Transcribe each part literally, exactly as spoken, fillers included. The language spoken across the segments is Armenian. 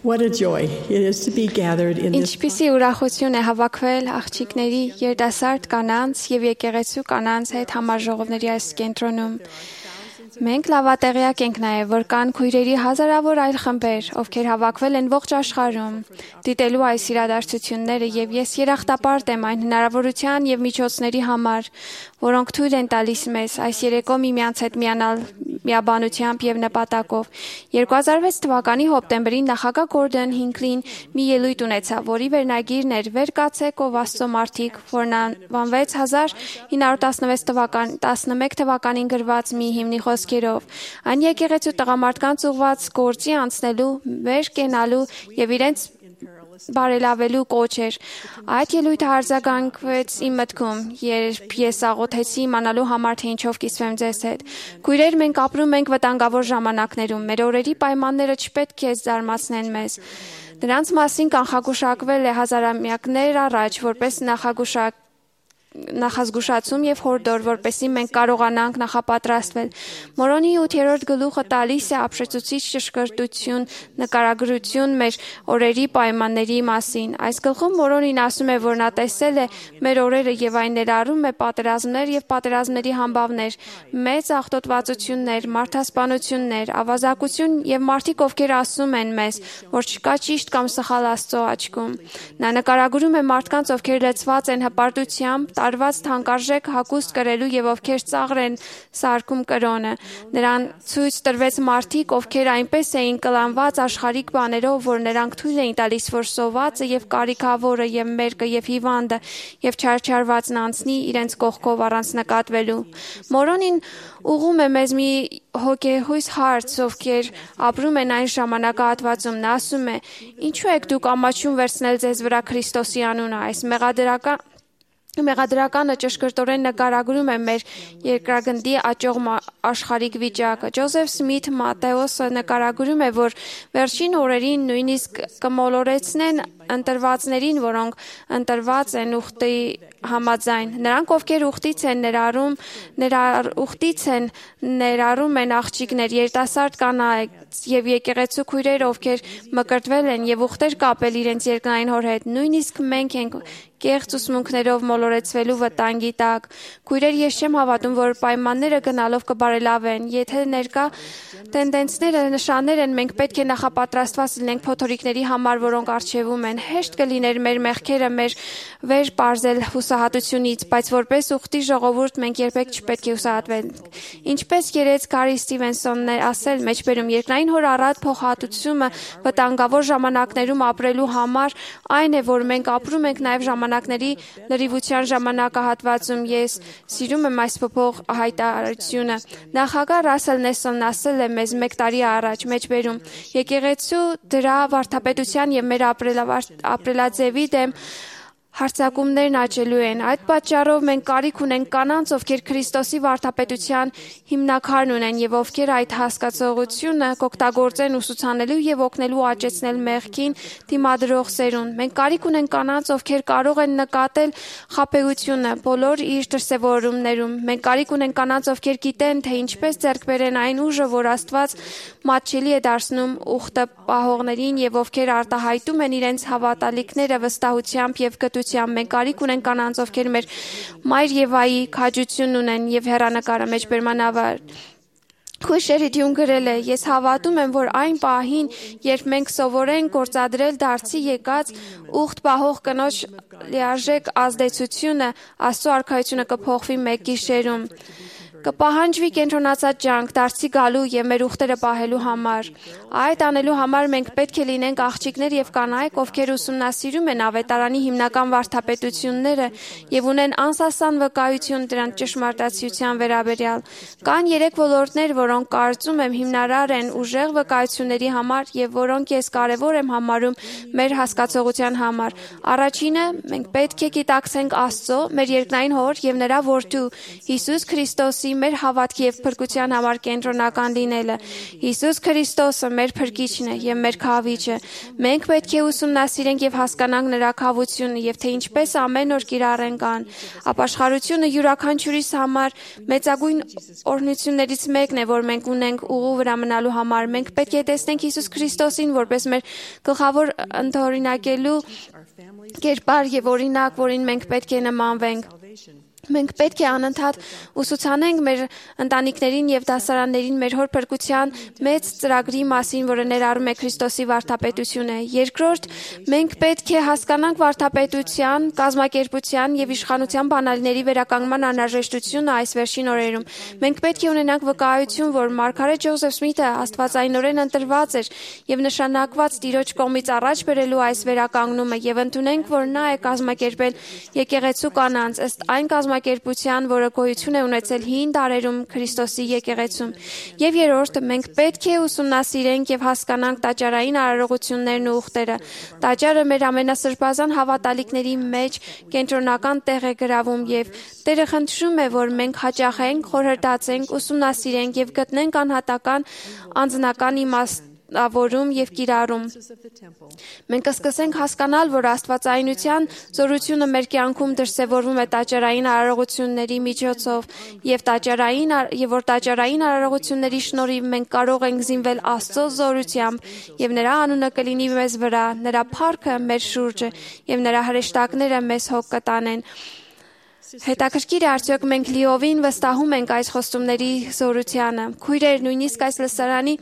What a joy it is to be gathered in this. Ինչպիսի ուրախություն է հավաքվել աղջիկների, երիտասարդ կանանց եւ եկեղեցու կանանց հետ համաժողովների այս կենտրոնում։ Մենք լավատեղյակ ենք նաև, որ կան քույրերի հազարավոր այլ խմբեր, ովքեր հավաքվել են ողջ աշխարհում, դիտելու այս իրադարձությունները, եւ ես երախտապարտ եմ այն հնարավորության եւ միջոցների համար, որոնք թույլ են տալիս մեզ այս երեկո միմյանց հետ միանալ միաբանությամբ եւ նպատակով։ երկու հազար վեց թվականի հոկտեմբերին նախագահ Գորդոն Հինքլին մի ելույթ ունեցավ, որի վերնագիրն էր «Վեր կացեք, ով Աստծո մարդիկ», որն անվանվեց հազար ինը հարյուր տասնվեց թվական տասնմեկ թվականին գրված մի հիմնի խոսքերով։ Այն եկեղեցու տղամարդկանց ուղված գործի անցնելու, վեր կենալու եւ իրենց բարելավելու կոչ էր։ Այդ ելույթը արձագանքվեց իմ մտքում, երբ ես աղոթեցի իմանալու համար, թե ինչով կիսվեմ ձեզ հետ։ Քույրեր, մենք ապրում ենք վտանգավոր ժամանակներում։ Մեր օրերի պայմանները չպետք է զարմացնեն մեզ։ Դրանց մասին կանխագուշակվել է հազարամյակներ առաջ, որպես նախագուշակ նախազգուշացում եւ հորդոր, որպեսզի մենք կարողանանք նախապատրաստվել։ Մորոնի ութերորդ գլուխը տալիս է ապշեցուցիչ ճշգրտություն, նկարագրություն մեր օրերի պայմանների մասին։ Այս գլխում Մորոնին ասում է, որ նա տեսել է մեր օրերը եւ այն ներառում է պատերազմներ եւ պատերազմների համբավներ, մեծ աղտոտվածություններ, մարդասպանություններ, ավազակություն եւ մարդիկ, ովքեր ասում են մեզ, որ չկա ճիշտ կամ սխալ Աստծո աչքում։ Նա նկարագրում է մարդկանց, ովքեր լեցված են հպարտությամբ, տարված թանկարժեք հագուստ կրելու եւ ովքեր ծաղր են սարքում կրոնը։ Նրան ցույց տրվեց մարդիկ, ովքեր այնպես էին կլանված աշխարհիկ բաներով, որ նրանք թույլ էին տալիս, որ սովածը եւ կարիքավորը եւ մերկը եւ հիվանդը եւ չարչարվածն անցնի իրենց կողքով առանց նկատվելու։ Մորոնին ուղում է մեզ մի հոգեհույս հարց, ովքեր ապրում են այն ժամանակահատվածում։ Նա ասում է. «Ինչու եք դուք ամաչում վերցնել ձեզ վրա Քրիստոսի անունը»։ Այս մեղադրական Մեղադրականը ճշգրտորեն նկարագրում է մեր երկրագնդի աճող աշխարհիկ վիճակը։ Ջոզեֆ Սմիթ Մատեոսը նկարագրում է, որ վերջին օրերին նույնիսկ կմոլորեցնեն ընտրվածներին, որոնք ընտրված են ուխտի համաձայն։ Նրանք, ովքեր ուխտից են ներառում, ներառ ուխտից են ներառում են աղջիկներ, երիտասարդ կանայք եւ եկեղեցու քույրեր, ովքեր մկրտվել են եւ ուխտեր կապել իրենց երկնային հոր հետ։ Նույնիսկ մենք ենք կեղծ ուսմունքներով մոլորեցվելու վտանգի տակ։ Քույրեր, ես չեմ հավատում, որ պայմանները գնալով կբարելավեն։ Եթե ներկա տենդենսները նշաններ են, մենք պետք է նախապատրաստված լինենք փոթորիկների համար, որոնք առջևում են։ Հեշտ կլիներ մեր մեղքերը մեր վեր պարզել հուսահատությունից, բայց որպես ուխտի ժողովուրդ մենք երբեք չպետք է հուսահատվենք։ Ինչպես երեց Գարի Ստիվենսոնն է ասել, մեջբերում երկնային հոր առատ փոխհատուցումը վտանգավոր ժամանակներում ապրելու համար այն է, որ մենք ապրում ենք նաև ժամանակների լրիվության ժամանակահատվածում։ Ես սիրում եմ այս փոփոխ հայտարարությունը։ Նախագահ Ռասել Նեսոնն ասել է մեզ մեկ տարի առաջ, մեջբերում. եկեղեցու դրա վարդապետության եւ մեր ապրելաձևի դեմ հարցակումներն աճելու են։ Այդ պատճառով մենք կարիք ունենք կանանց, ովքեր Քրիստոսի վարդապետության հիմնաքարն ունեն եւ ովքեր այդ հասկացողությունը կօգտագործեն ուսուցանելու եւ օգնելու աճեցնել մեղքին դիմադրող սերունդ։ Մենք կարիք ունենք կանանց, ովքեր կարող են նկատել խաբեությունը բոլոր իր դրսևորումներում։ Մենք կարիք ունենք կանանց, ովքեր գիտեն, թե ինչպես ձեռք բերեն այն ուժը, որ Աստված մատչելի է դարձնում ուխտը պահողներին եւ ովքեր արտահայտում են իրենց հավատալիքները վստահությամբ եւ գտությամբ։ Մենք կարիք ունենք կանանց, ովքեր մեր Մայր Եվայի քաջությունն ունեն եւ հեռանկարը մեջբերմանավար։ Քույրերի դյուն գրել է. «Ես հավատում եմ, որ այն պահին, երբ մենք սովորենք գործադրել դարձի եկած ուխտ պահող կնոջ լիարժեք ազդեցությունը, Աստծո արքայությունը կփոխվի մեկ գիշերում։ Կպահանջվի կենտրոնացած ջանք դարձի գալու եւ մեր ուխտերը պահելու համար։ Այդ անելու համար մենք պետք է լինենք աղջիկներ եւ կանայք, ովքեր ուսումնասիրում են ավետարանի հիմնական վարդապետությունները եւ ունեն անսասան վկայություն դրանց ճշմարտացիության վերաբերյալ։ Կան երեք ոլորտներ, որոնք կարծում եմ հիմնարար են ուժեղ վկայությունների համար եւ որոնք ես կարեւոր եմ համարում մեր հասկացողության համար։ Առաջինը, մենք պետք է գիտակցենք Աստծո, մեր երկնային հոր եւ նրա որդու Հիսուս Քրիստոսի Քրիստոսի մեր հավատքի եւ փրկության համար կենտրոնական լինելը։ Հիսուս Քրիստոսը մեր փրկիչն է եւ մեր քավիչը։ Մենք պետք է ուսումնասիրենք եւ հասկանանք նրա քավությունը եւ թե ինչպես ամեն օր կիրառենք ան։ Ապաշխարությունը յուրաքանչյուրիս համար մեծագույն օրհնություններից մեկն է, որ մենք ունենք ուղու վրա մնալու համար։ Մենք պետք է տեսնենք Հիսուս Քրիստոսին որպես մեր գլխավոր ընդօրինակելու կերպար եւ օրինակ, որին մենք պետք է նմանվենք։ Մենք պետք է անընդհատ ուսուցանենք մեր ընտանիքներին եւ դասարաններին մեր հոր փրկության մեծ ծրագրի մասին, որը ներառում է Քրիստոսի վարդապետությունը։ Երկրորդ, մենք պետք է հասկանանք վարդապետության, կազմակերպության եւ իշխանության բանալիների վերականգնման անհրաժեշտությունը այս վերջին օրերում։ Մենք պետք է ունենանք վկայություն, որ Մարգարետ Ջոզեֆ Սմիթը աստվածայնորեն ընտրված էր եւ նշանակված Տիրոջ կողմից առաջ բերելու այս վերականգնումը եւ ընդունենք, որ նա է կազմակերպել եկեղեցու կանանց ըստ այն կազմակերպության, որը գոյություն է ունեցել հին դարերում Քրիստոսի եկեղեցում։ Եվ երրորդը, մենք պետք է ուսումնասիրենք եւ հասկանանք տաճարային արարողություններն ու ուխտերը։ Տաճարը մեր ամենասրբազան հավատալիքների մեջ կենտրոնական տեղ է գրավում եւ Տերը խնդրում է, որ մենք հաճախենք, խորհրդացենք, ուսումնասիրենք եւ գտնենք անհատական անձնական իմաստավորում եւ կիրառում։ Մենք կսկսենք հասկանալ, որ աստվածայնության զորությունը մեր կյանքում դրսևորվում է տաճարային արարողությունների միջոցով եւ տաճարային եւ որ տաճարային արարողությունների շնորհիվ մենք կարող ենք զինվել Աստծո զորությամբ եւ նրա անունը կլինի մեզ վրա, նրա փառքը մեր շուրջը եւ նրա հրեշտակները մեզ հոգ կտանեն։ Հետաքրքիր է, արդյոք մենք լիովին վստահում ենք այս խոստումների զորությանը։ Քույրեր, նույնիսկ այս լսարանի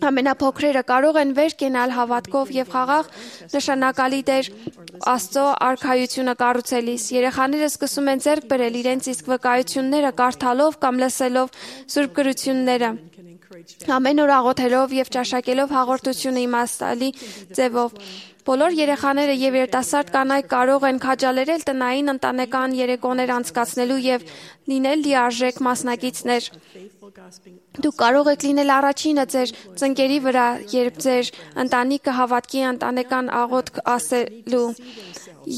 ամենափոքրերը կարող են վեր կենալ հավատքով եւ խաղաղ նշանակալի դեր Աստծո արքայությունը կառուցելիս։ Երեխաները սկսում են ձեռք բերել իրենց իսկ վկայությունները կարդալով կամ լսելով սուրբ գրությունները, ամեն օր աղոթելով եւ ճաշակելով հաղորդությունը իմաստալի ձևով։ Բոլոր երեխաները եւ երիտասարդ կանայք կարող են քաջալերել տնային ընտանեկան երեկոներ անցկացնելու եւ լինել լիարժեք մասնակիցներ։ Դուք կարող եք լինել առաջինը ձեր ծնկերի վրա, երբ ձեր ընտանիքը հավատքի ընտանեկան աղոթք ասելու։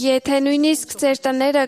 Եթե նույնիսկ ձեր տները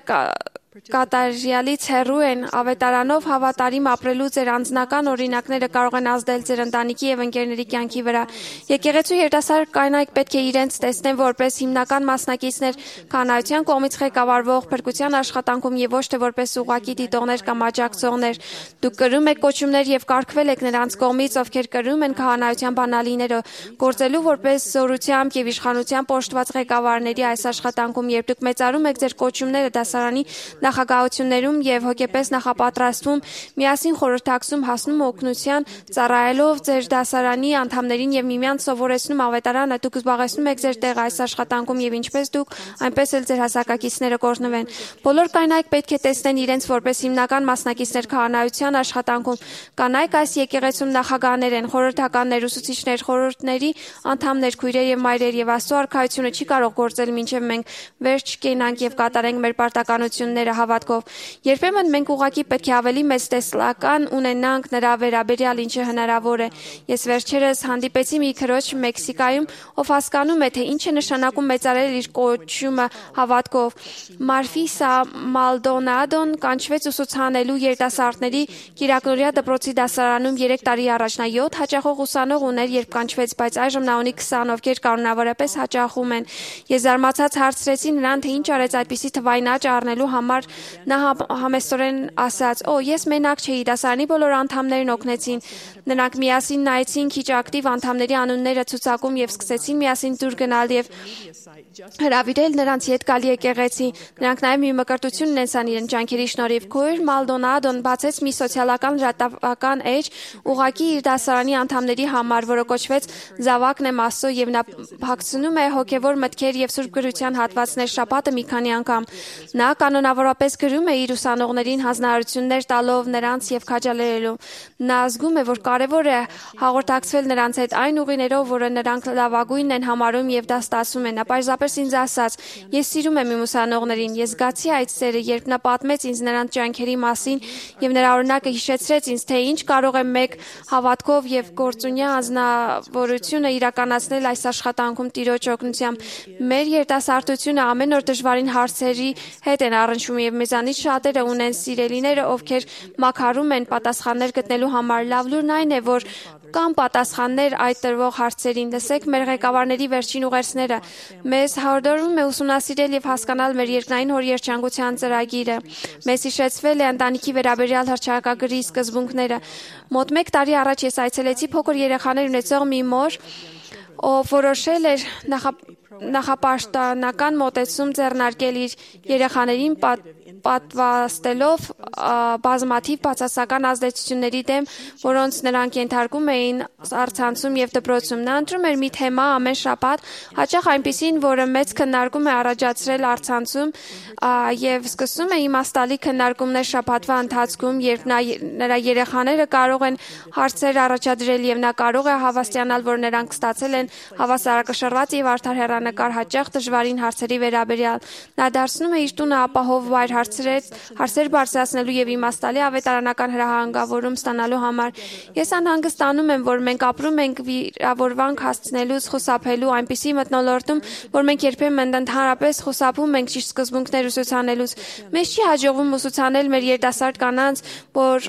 կատարյալից հեռու են, ավետարանով հավատարիմ ապրելու ձեր անձնական օրինակները կարող են ազդել ձեր ընտանիքի եւ ընկերների կյանքի վրա։ Եկեղեցու երիտասարդ կանայք պետք է իրենց տեսնեն որպես հիմնական մասնակիցներ կանայության կողմից ղեկավարվող փրկության աշխատանքում եւ ոչ թե որպես ուղղակի դիտողներ կամ աջակցողներ։ Դուք կրում եք կոչումներ եւ կարգվել եք նրանց կողմից, ովքեր կրում են քահանայության բանալիները, գործելու որպես զորությամբ եւ իշխանությամբ պոշտված ղեկավարների այս աշխատանքում, երբ դուք մեծարում եք ձեր կոչումները դասարանի նախագահություններում եւ հոգեպես նախապատրաստվում, միասին խորհրդակցում, հասնում օգնության, ծառայելով ձեր դասարանի անդամներին եւ միմյանց սովորեցնում ավետարանը, դուք զբաղեցնում եք ձեր տեղը այս աշխատանքում եւ ինչպես դուք, այնպես էլ ձեր հասակակիցները կօրհնվեն։ Բոլոր կանայք պետք է տեսնեն իրենց որպես հիմնական մասնակիցներ քահանայության աշխատանքում։ Կանայք այս եկեղեցում նախագահներ են, խորհրդականներ, ուսուցիչներ, խորհուրդների անդամներ, քույրեր եւ մայրեր եւ Աստծո արքայությունը չի կարող գործել մինչեւ մենք վերջ կենանք եւ կատարենք մեր պարտականությունները հավատքով։ Երբեմն մենք ուղղակի պետք է ավելի մեծ տեսլական ունենանք նրա վերաբերյալ, ինչը հնարավոր է։ Ես վերջերս հանդիպեցի մի քրոջ Մեքսիկայում, ով հասկանում է, թե ինչ է նշանակում մեծարել իր կոչումը հավատքով։ Մարֆիսա Մալդոնադոն կանչվեց ուսուցանելու երիտասարդների Կիրակնորիա դպրոցի դասարանում երեք տարի առաջ։ Նա յոթ հաճախող ուսանող ուներ, երբ կանչվեց, բայց այժմ նա ունի քսան, ովքեր կանոնավորապես հաճախում են։ Ես զարմացած հարցրեցի նրան, թե ինչ արեց այդպիսի թվային աճ առնելու համար։ Նա համեստորեն ասաց. «Օ, ես մենակ չէի, դասարանի բոլոր անդամներն օգնեցին»։ Նրանք միասին նայեցին քիչ ակտիվ անդամների անունները ցուցակում եւ սկսեցին միասին դուր գնալ եւ հրավիրել նրանց հետ գալի եկեղեցի։ Նրանք նաեւ մի մկրտություն ունեցան իրենց ջանքերի շնորհիվ։ Քույր Մալդոնադոն բացեց մի սոցիալական լրատվական էջ ուղակի իր դասարանի անդամների համար, որը կոչվեց Զավակն եմ Աստծո, եւ նա փակցնում է հոգեվոր մտքեր եւ սուրբ գրության հատվածներ շաբաթը մի քանի անգամ։ Նա կանոնավորապես գրում է իր ուսանողներին հանձնարարություններ տալով նրանց եւ քաջալերելով։ Նա զգում է, որ կարեւոր է հաղորդակցվել նրանց հետ այն ուղիներով, որը նրանք լավագույնն են համարում եւ դա ստացում են։ Նա պարզապես ինձ ասաց. «Ես սիրում եմ իմ ուսանողներին»։ Ես զգացի այդ սերը, երբ նա պատմեց ինձ նրանց ջանքերի մասին եւ նրա օրինակը հիշեցրեց ինձ, թե ինչ կարող է մեկ հավատքով եւ գործունյա անձնավորությունը իրականացնել այս աշխատանքում Տիրոջ օգնությամբ։ Մեր երիտասարդությունը ամեն օր դժվարին հարցերի հետ են առնչվում աշխարհում եւ մեզանից շատերը ունեն սիրելիները, ովքեր մաքարում են պատասխաններ գտնելու համար։ Լավ լուրն այն է, որ կան պատասխաններ այդ տրվող հարցերին։ Լսեք մեր ղեկավարների վերջին ուղերձները։ Մեզ հորդորվում է ուսումնասիրել եւ հասկանալ մեր երկնային հոր երջանկության ծրագիրը։ Մեզ հիշեցվել է ընտանիքի վերաբերյալ հռչակագրի սկզբունքները։ Մոտ մեկ տարի առաջ ես այցելեցի փոքր երեխաներ ունեցող մի մոր, ով որոշել էր նախապաշտպանական մոտեցում ձեռնարկել իր երեխաներին պատվաստելով բազմաթիվ բացասական ազդեցությունների դեմ, որոնց նրանք ենթարկում էին առցանցում եւ դպրոցում։ Նա ընտրում էր մի թեմա ամեն շաբաթ, հաճախ այնպիսին, որը մեծ քննարկում է առաջացրել առցանցում եւ սկսում է իմաստալի քննարկումներ շաբաթվա ընթացքում, երբ նա նրա երեխաները կարող են հարցեր առաջադրել եւ նա կարող է հավաստիանալ, որ նրանք ստացել են հավասարակշռված եւ արդար հեռանկար հաճախ դժվարին հարցերի վերաբերյալ։ Նա դարձնում է իր տունը ապահով վայր հարցեր բարձրացնելու եւ իմաստալի ավետարանական հրահանգավորում ստանալու համար։ Ես անհանգստանում եմ, որ մենք ապրում ենք վիրավորանք հասցնելուց խուսափելու այնպիսի մթնոլորտում, որ մենք երբեմն ընդհանրապես խուսափում ենք ճիշտ սկզբունքներ ուսուցանելուց։ Մեզ չի հաջողվում ուսուցանել մեր երիտասարդ կանանց, որ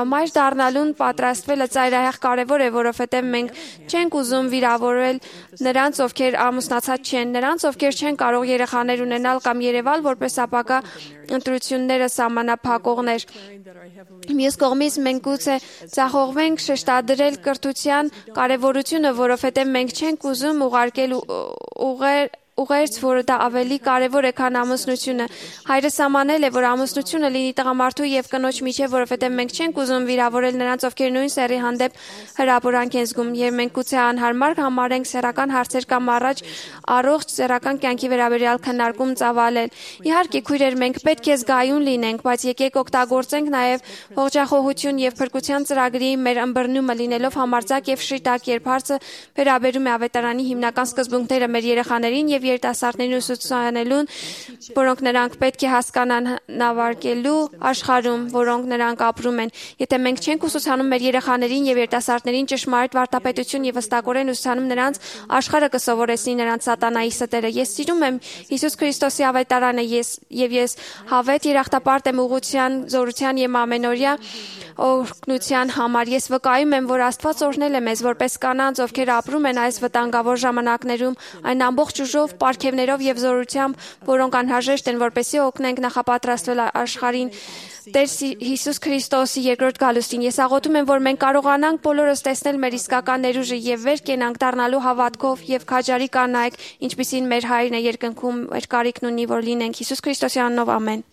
մայր դառնալուն պատրաստվելը ծայրահեղ կարևոր է, որովհետեւ մենք չենք ուզում վիրավորել նրանց, ովքեր ամուսնացած չեն, նրանց, ովքեր չեն կարող երեխաներ ունենալ կամ երևալ որպես ապագա ընտրությունները սահմանափակողներ։ Մյուս կողմից մենք գուցե ձախողվենք շեշտադրել կրթության կարևորությունը, որովհետև մենք չենք ուզում ուղարկել ուղեր ուղերձ, որը դա ավելի կարևոր է, քան ամուսնությունը։ Հայրս սահմանել է, որ ամուսնությունը լինի տղամարդու եւ կնոջ միջեւ, որովհետեւ մենք չենք ուզում վիրավորել նրանց, ովքեր նույն սեռի հանդեպ հրապուրանք են զգում, եւ մենք գուցե անհարմար համարենք սեռական հարցեր կամ առաջ առողջ սեռական կյանքի վերաբերյալ քննարկում ծավալել։ Իհարկե, քույրեր, մենք պետք է զգայուն լինենք, բայց եկեք օգտագործենք նաեւ ողջախոհություն եւ փրկության ծրագրի մեր ըմբռնումը լինելով համարձակ եւ շիտակ, երբ հարցը վերաբերում է ավետարանի հիմնական սկզբունքները մեր երեխաներին եւ երիտասարդներին ուսուցանելուն, որոնք նրանք պետք է հասկանան նավարկելու աշխարհում, որոնք նրանք ապրում են։ Եթե մենք չենք ուսուցանում մեր երեխաներին եւ երիտասարդներին ճշմարիտ վարդապետություն եւ վստակորեն ուսուցանում նրանց, աշխարհը կսովորեցնի նրանց սատանայի ստերը։ Ես սիրում եմ Հիսուս Քրիստոսի ավետարանը ես եւ ես հավետ երախտապարտ եմ ուղղության, զորության եւ ամենօրյա օրհնության համար։ Ես վկայում եմ, որ Աստված օրհնել է մեզ որպես կանանց, ովքեր ապրում են այս վտանգավոր ժամանակներում, այն ամբողջ ուժով, պարգևներով եւ զորությամբ, որոնք անհրաժեշտ են, որպեսզի օգնենք նախապատրաստվել աշխարհին Տեր Հիսուս Քրիստոսի երկրորդ գալուստին։ Ես աղոթում եմ, որ մենք կարողանանք բոլորս տեսնել մեր իսկական ներուժը եւ վեր կենանք դառնալու հավատքով եւ քաջարի կանայք, ինչպիսին մեր Հայրն է երկնքում, մեր կարիքն ունի, որ լինենք Հիսուս Քրիստոսի անունով ամեն։